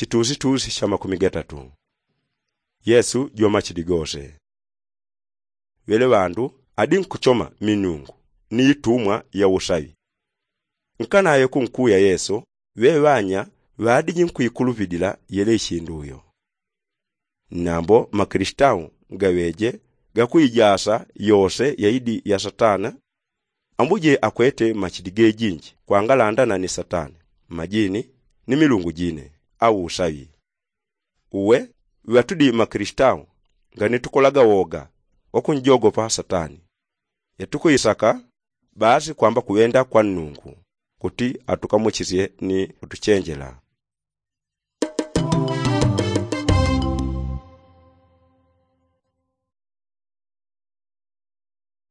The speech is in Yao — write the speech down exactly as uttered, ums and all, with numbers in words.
Chitusitusi cha makumi gatatu. Yesu jwa machidi gose. Ŵele ŵandu adi nkuchoma minungu ni itumwa ya usaŵi. Nkanayo kunkuya yesu ŵeŵanya ŵadiji nkuikulupidila yele ichindu uyo. Nambo makilisitau ngaŵeje gakuijasa yose yaidi ya satana. Ambuje akwete machidi gejinji kwangalandana ni satana, majini, ni milungu jine au usaŵi. Uwe ŵatudi makilisitau nganetukolaga woga wakunjogopa satani. Yatukuisaka basi kwamba kuŵenda kwa nnungu kuti atukamuchisye ni kutuchenjela.